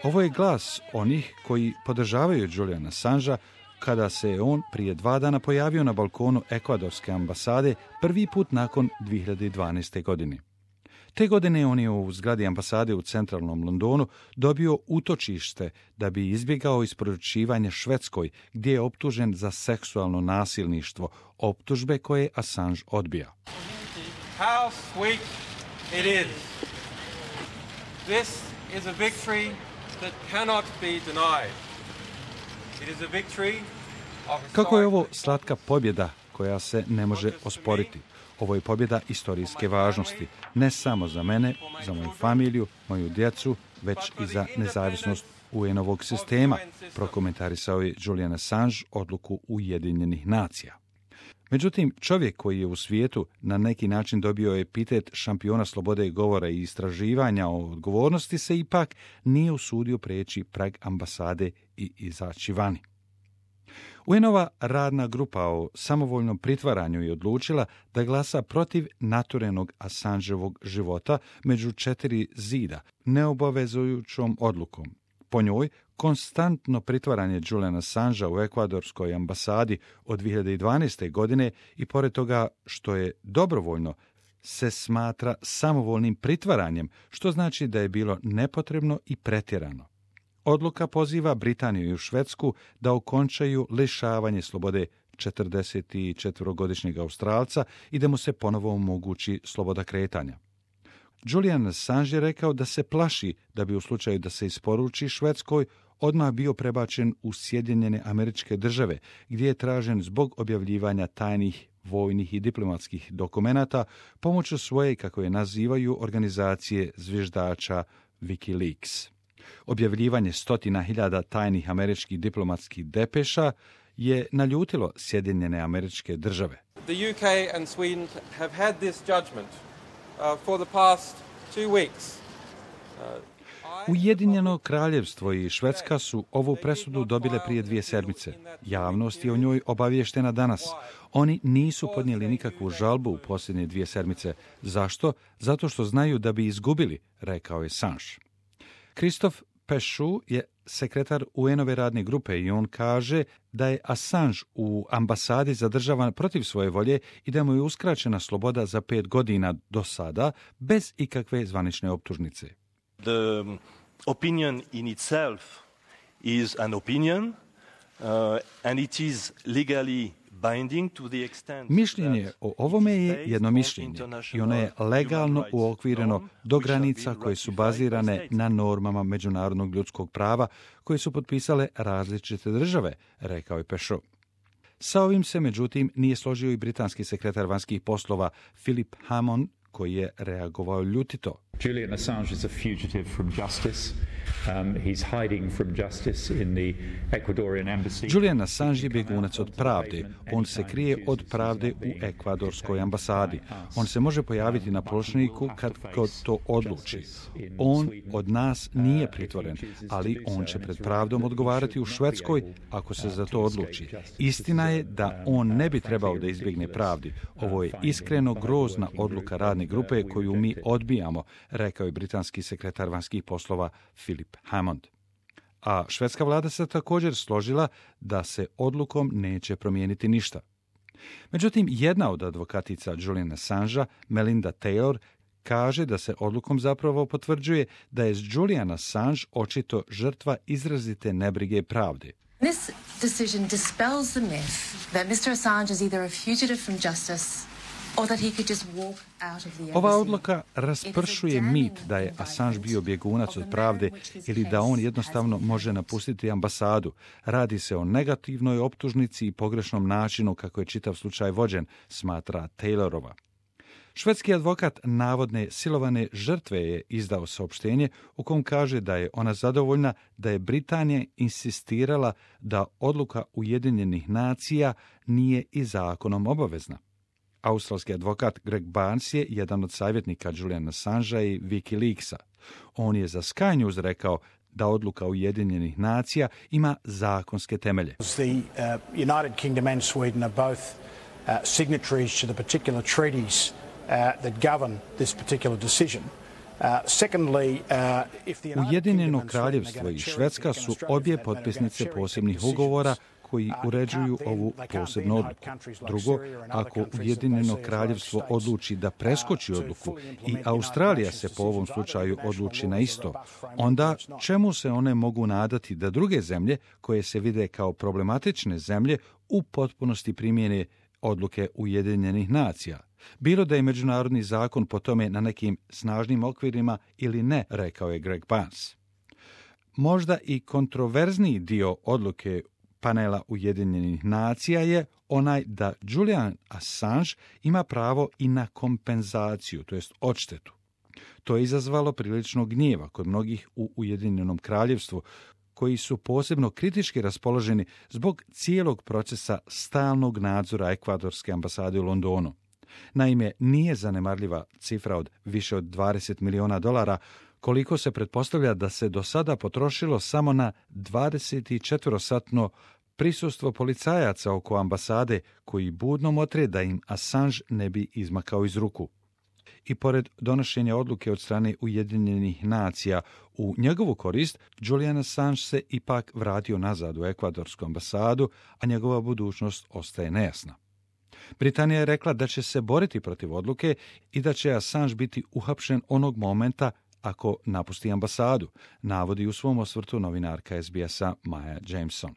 Ovo je glas onih koji podržavaju Juliana Assangea kada se on prije 2 dana pojavio na balkonu ekvadorske ambasade prvi put nakon 2012. godine. Te godine on je u zgradi ambasade u centralnom Londonu dobio utočište da bi izbjegao isporučivanje Švedskoj, gdje je optužen za seksualno nasilništvo, optužbe koje Assange odbija. How sweet it is. This is a victory that cannot be denied. It is a victory of... Kako je ovo slatka pobjeda koja se ne može osporiti? Ovo je pobjeda istorijske važnosti, ne samo za mene, za moju familiju, moju djecu, već i za nezavisnost UN-ovog sistema, prokomentarisao je Julian Assange odluku Ujedinjenih nacija. Međutim, čovjek koji je u svijetu na neki način dobio epitet šampiona slobode govora i istraživanja o odgovornosti se ipak nije usudio preći prag ambasade i izaći vani. UN-ova radna grupa o samovoljnom pritvaranju je odlučila da glasa protiv naturenog Assangeovog života među 4 zida, neobavezujućom odlukom. Po njoj, konstantno pritvaranje Juliana Assangea u ekvadorskoj ambasadi od 2012. godine i pored toga što je dobrovoljno, se smatra samovoljnim pritvaranjem, što znači da je bilo nepotrebno i pretjerano. Odluka poziva Britaniju i Švedsku da okončaju lišavanje slobode 44-godišnjeg Australca i da mu se ponovo omogući sloboda kretanja. Julian Assange je rekao da se plaši da bi u slučaju da se isporuči Švedskoj odmah bio prebačen u Sjedinjene Američke Države, gdje je tražen zbog objavljivanja tajnih vojnih i diplomatskih dokumenata pomoću svoje, kako je nazivaju, organizacije zviždača WikiLeaks. Objavljivanje 100.000 tajnih američkih diplomatskih depeša je naljutilo Sjedinjene Američke Države. The UK and Sweden have had this judgment for the past 2 weeks. Ujedinjeno kraljevstvo i Švedska su ovu presudu dobile prije 2 sedmice. Javnost je o njoj obavještena danas. Oni nisu podnijeli nikakvu žalbu u posljednje 2 sedmice. Zašto? Zato što znaju da bi izgubili, rekao je Assange. Christophe Péchou je sekretar UN-ove radne grupe i on kaže da je Assange u ambasadi zadržavan protiv svoje volje i da mu je uskraćena sloboda za 5 godina do sada bez ikakve zvanične optužnice. The opinion in itself is an opinion and it is legally binding to the extent. Mišljenje o ovome je jedno mišljenje i ono je legalno uokvireno do granica koje su bazirane na normama međunarodnog ljudskog prava koje su potpisale različite države, rekao je Péchou. Sa ovim se, međutim, nije složio i britanski sekretar vanjskih poslova Philip Hammond, koji je reagovao ljutito. Julian Assange is a fugitive from justice. He's hiding from justice in the Ecuadorian embassy. Julian Assange je bjegunac od pravde. On se krije od pravde u ekvadorskoj ambasadi. On se može pojaviti na pločniku kad god to odluči. On od nas nije pritvoren, ali on će pred pravdom odgovarati u Švedskoj ako se za to odluči. Istina je da on ne bi trebao da izbjegne pravdi. Ovo je iskreno grozna odluka radne grupe koju mi odbijamo, rekao je britanski sekretar vanjskih poslova Philip Hammond. A švedska vlada se također složila da se odlukom neće promijeniti ništa. Međutim, jedna od advokatica Juliana Assangea, Melinda Taylor, kaže da se odlukom zapravo potvrđuje da je Julian Assange očito žrtva izrazite nebrige pravde. This decision dispels the myth that Mr. Assange is either a fugitive from justice or that he could just walk out of the embassy. Ova odluka raspršuje mit da je Assange bio bjegunac od pravde ili da on jednostavno može napustiti ambasadu. Radi se o negativnoj optužnici i pogrešnom načinu kako je čitav slučaj vođen, smatra Taylorova. Švedski advokat navodne silovane žrtve je izdao saopštenje u kom kaže da je ona zadovoljna da je Britanija insistirala da odluka Ujedinjenih nacija nije i zakonom obavezna. Australski advokat Greg Barnes je jedan od savjetnika Juliana Assangea i WikiLeaksa. On je za Sky News rekao da odluka Ujedinjenih nacija ima zakonske temelje. The United Kingdom and Sweden are both signatories to the particular treaties that govern this particular decision. Ujedinjeno kraljevstvo i Švedska su obje potpisnice posebnih ugovora koji uređuju ovu posebnu odluku. Drugo, ako Ujedinjeno kraljevstvo odluči da preskoči odluku i Australija se po ovom slučaju odluči na isto, onda čemu se one mogu nadati da druge zemlje, koje se vide kao problematične zemlje, u potpunosti primijene odluke Ujedinjenih nacija? Bilo da je međunarodni zakon po tome na nekim snažnim okvirima ili ne, rekao je Greg Barnes. Možda i kontroverzniji dio odluke panela Ujedinjenih nacija je onaj da Julian Assange ima pravo i na kompenzaciju, to jest odštetu. To je izazvalo prilično gnjeva kod mnogih u Ujedinjenom kraljevstvu, koji su posebno kritički raspoloženi zbog cijelog procesa stalnog nadzora ekvadorske ambasade u Londonu. Naime, nije zanemarljiva cifra od više od $20 miliona, koliko se pretpostavlja da se do sada potrošilo samo na 24-satno prisustvo policajaca oko ambasade, koji budno motre da im Assange ne bi izmakao iz ruku. I pored donošenja odluke od strane Ujedinjenih nacija u njegovu korist, Julian Assange se ipak vratio nazad u ekvadorsku ambasadu, a njegova budućnost ostaje nejasna. Britanija je rekla da će se boriti protiv odluke i da će Assange biti uhapšen onog momenta ako napusti ambasadu, navodi u svom osvrtu novinarka SBS-a Maya Jameson.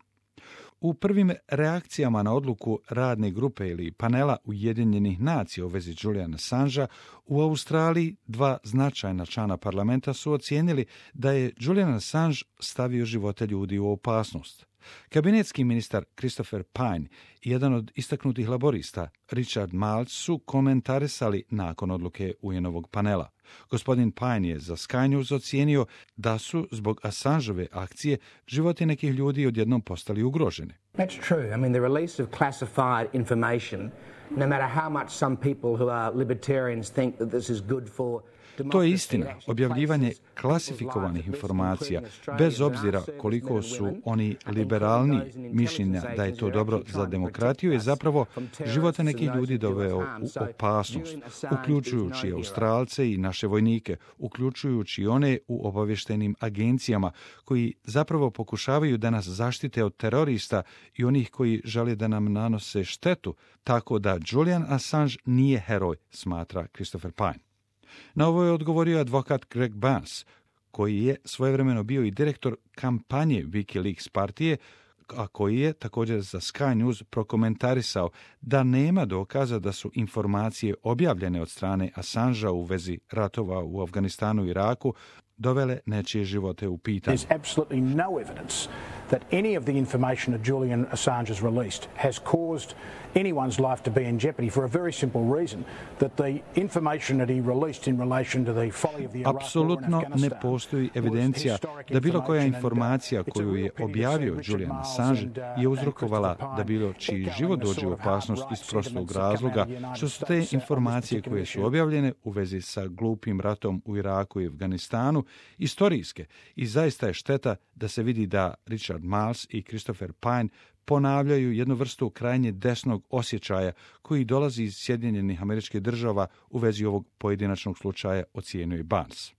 U prvim reakcijama na odluku radne grupe ili panela Ujedinjenih nacija u vezi Juliana Assangea, u Australiji dva značajna člana parlamenta su ocijenili da je Julian Assange stavio živote ljudi u opasnost. Kabinetski ministar Christopher Pyne i jedan od istaknutih laborista, Richard Marles, su komentarisali nakon odluke UN-ovog panela. Gospodin Pyne je za Sky News ocijenio da su zbog Assangeove akcije životi nekih ljudi odjednom postali ugroženi. That's true. I mean, the release of classified information, no matter how much some people who are libertarians think that this is good for. To je istina, objavljivanje klasifikovanih informacija, bez obzira koliko su oni liberalni mišljenja da je to dobro za demokratiju, je zapravo živote nekih ljudi doveo u opasnost, uključujući Australce i naše vojnike, uključujući one u obavještajnim agencijama koji zapravo pokušavaju da nas zaštite od terorista i onih koji žele da nam nanose štetu, tako da Julian Assange nije heroj, smatra Christopher Pyne. Na ovo je odgovorio advokat Greg Barnes, koji je svojevremeno bio i direktor kampanje WikiLeaks partije, a koji je također za Sky News prokomentarisao da nema dokaza da su informacije objavljene od strane Assangea u vezi ratova u Afganistanu i Iraku dovele nečije živote u pitanje. There's absolutely no evidence that any of the information that Julian Assange has released has caused anyone's life to be in jeopardy for a very simple reason, that the information that he released in relation to the folly of the Iraq war and Apsolutno Afghanistan ne postoji evidencija da bilo koja informacija koju je objavio Julian Assange je uzrokovala da bilo čiji život dođe u opasnost iz prostog razloga, što su te informacije koje su objavljene u vezi sa glupim ratom u Iraku i Afganistanu istorijske i zaista je šteta da se vidi da Richard Marles i Christopher Pyne ponavljaju jednu vrstu krajnje desnog osjećaja koji dolazi iz Sjedinjenih Američkih Država u vezi ovog pojedinačnog slučaja, ocijenio je Barnes.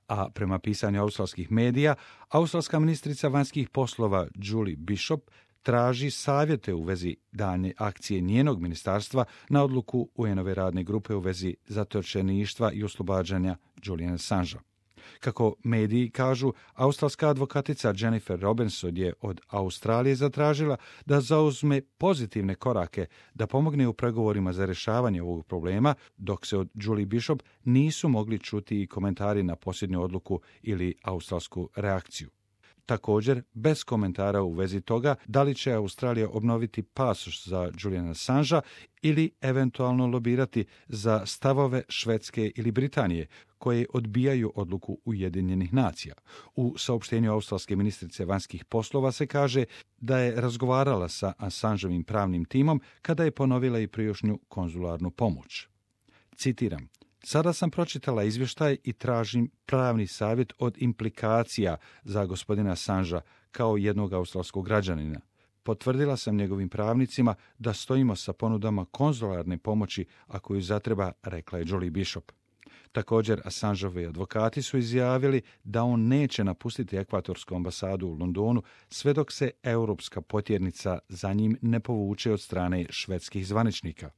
A prema pisanju australskih medija, australska ministrica vanjskih poslova Julie Bishop traži savjete u vezi daljnje akcije njenog ministarstva na odluku UN-ove radne grupe u vezi zatočeništva i oslobađanja Juliana Assangea. Kako mediji kažu, australska advokatica Jennifer Robinson je od Australije zatražila da zauzme pozitivne korake da pomogne u pregovorima za rješavanje ovog problema, dok se od Julie Bishop nisu mogli čuti i komentari na posljednju odluku ili australsku reakciju. Također, bez komentara u vezi toga da li će Australija obnoviti pasoš za Juliana Assangea ili eventualno lobirati za stavove Švedske ili Britanije, koje odbijaju odluku Ujedinjenih nacija. U saopštenju australske ministrice vanjskih poslova se kaže da je razgovarala sa Assangeovim pravnim timom kada je ponovila i prijašnju konzularnu pomoć. Citiram: "Sada sam pročitala izvještaj i tražim pravni savjet od implikacija za gospodina Assangea kao jednog australskog građanina. Potvrdila sam njegovim pravnicima da stojimo sa ponudama konzularne pomoći ako ju zatreba", rekla je Julie Bishop. Također, Assangeovi advokati su izjavili da on neće napustiti ekvatorsku ambasadu u Londonu sve dok se europska potjernica za njim ne povuče od strane švedskih zvaničnika.